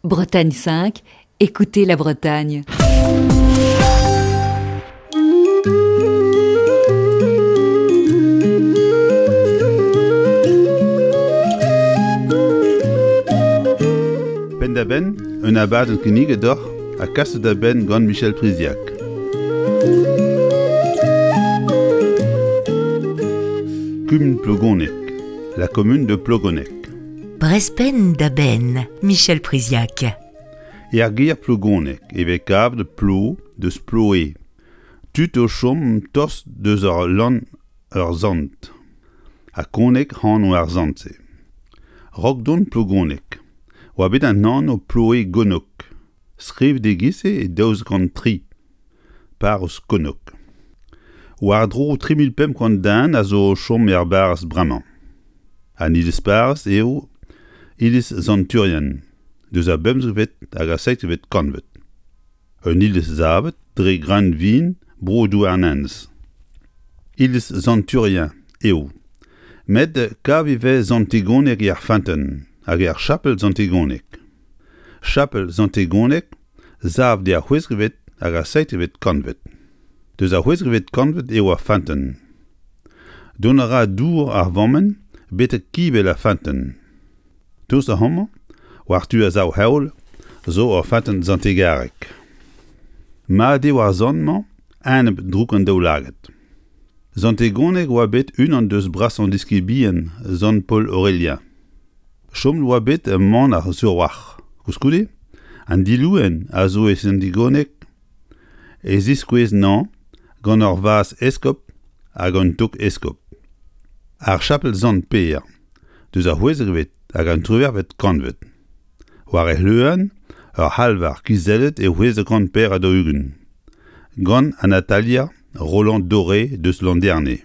Bretagne 5, écoutez la Bretagne. Penn-da-benn, un abadenn kinniget deoc'h ha kaset da benn gant Michel Priziac. Kumun Plogoneg, la commune de Plogoneg. Brest penn-da-benn, Michel Priziac. Er gêr Plogoneg e vez kavet plo deus Ploe, tud o chom tost deus ur lann ur sant, ha Koneg anv ar sant-se. Raok dont Plogoneg oa bet an anv Ploe-Gonnog, skrivet e-giz-se e 1203, parrez Konnog. War-dro 3500 den a zo o chom er barrez bremañ. An iliz-parrez eo iliz Sant-Turien, deus ar bemzekvet hag ar seizhvet kantved. Un iliz savet dre greunvin bro Douarnenez. Iliz Sant-Turien eo, met kav e vez Sant-Tegoneg er feunteun hag er chapel Sant-Tegoneg. Chapel Sant-Tegoneg savet er c'hwezekvet hag ar seizhvet kantved. Deus ar c'hwezekvet kantved eo ar feunteun. Dont a ra dour ar vammenn betek kibell ar feunteun. Tost da homañ, war tu ar sav-heol, zo ur feunteun Sant-Tegareg. Mat eo ar sant-mañ enep droug an daoulagad. Sant Tegoneg oa bet unan deus brasañ diskibien sant Paol Aorelien. Chomet oa bet manac'h sur-walc'h. Koulskoude, an dilouenn a zo e Sant-Tegoneg e ziskouez 'nañ gant ur vazh eskob hag un tog eskob. Ar chapel Sant-Pêr, deus ar c'hwezekvet hag an triwec'hvet kantved. War e c'hleuenn, ur c'halvar kizellet e 644 gant an atalier Roland Doré deus Landerne.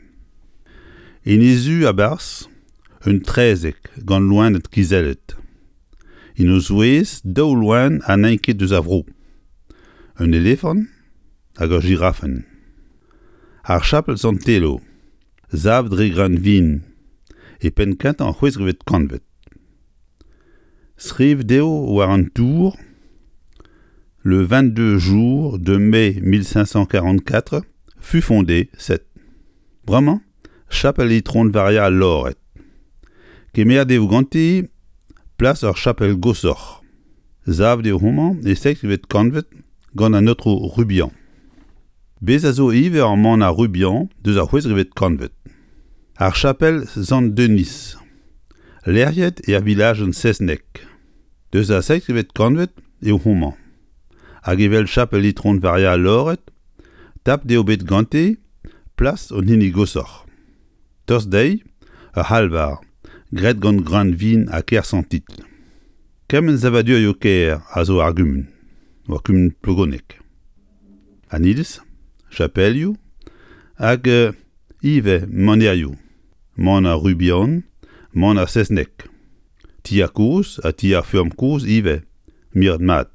En he zu a-barzh, un traezheg gant loened kizellet. En o zouez daou loen ha n'int ket eus ar vro, un elefant hag ur jirafenn. Ar chapel Sant-Telo, savet dre greunvin e penn-kentañ ar c'hwezekvet kantved. Skrivet eo war an tour Le 22 jour de mai 1544 fut fondée cette. Bremañ, chapel Itron Varia al Lored. Kemeret eo ganti plas ur chapel goshoc'h. Savet eo homañ e seizhvet kantved gant an aotrou Rubian. Bez a zo ivez ur manac'h Rubian deus ar c'hwezekvet kantved. Ar chapel Sant-Denis, lec'hiet er vilajenn Sezneg, deus ar seizhvet kantved eo homañ. Hag evel chapel Itron Varia al Lored, tapet eo bet gante plas an hini goshoc'h. Tost dezhi, ur c'halvar, graet gant greunvin ha kersantit. Kement savadurioù kaer a zo ar gumun, war kumun Plogoneg. An iliz, chapelioù hag ivez manerioù, maner Rubian, maner Sezneg. Tier kozh ha tier feurm kozh ivez, miret mat.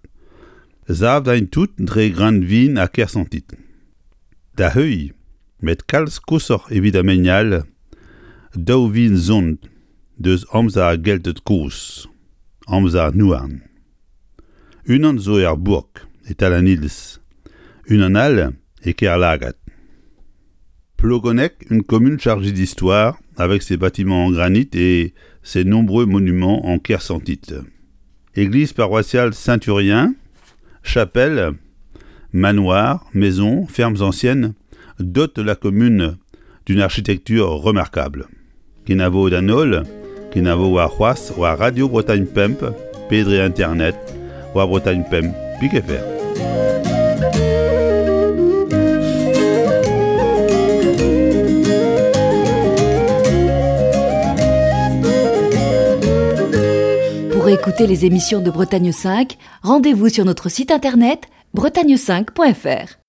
Savet int tout dre greunvin ha kersantit. Da heuilh, met kalz koshoc'h evit ar mein all, daou vil zont deus amzer ar Gelted kozh, amzer an houarn. Unan zo er bourk, e-tal an iliz, unan all e Kerlagad. Plogoneg, une commune chargée d'histoire, avec ses bâtiments en granit et ses nombreux monuments en kersantite. Église paroissiale Saint-Thurien, chapelle, manoir, maisons, fermes anciennes dotent la commune d'une architecture remarquable. Kenavo d'an holl, kenavo warc'hoazh war Radio Bretagne Pemp pe dre internet war Bretagne Pemp pik.fr. Pour écouter les émissions de Bretagne 5, rendez-vous sur notre site internet bretagne5.fr.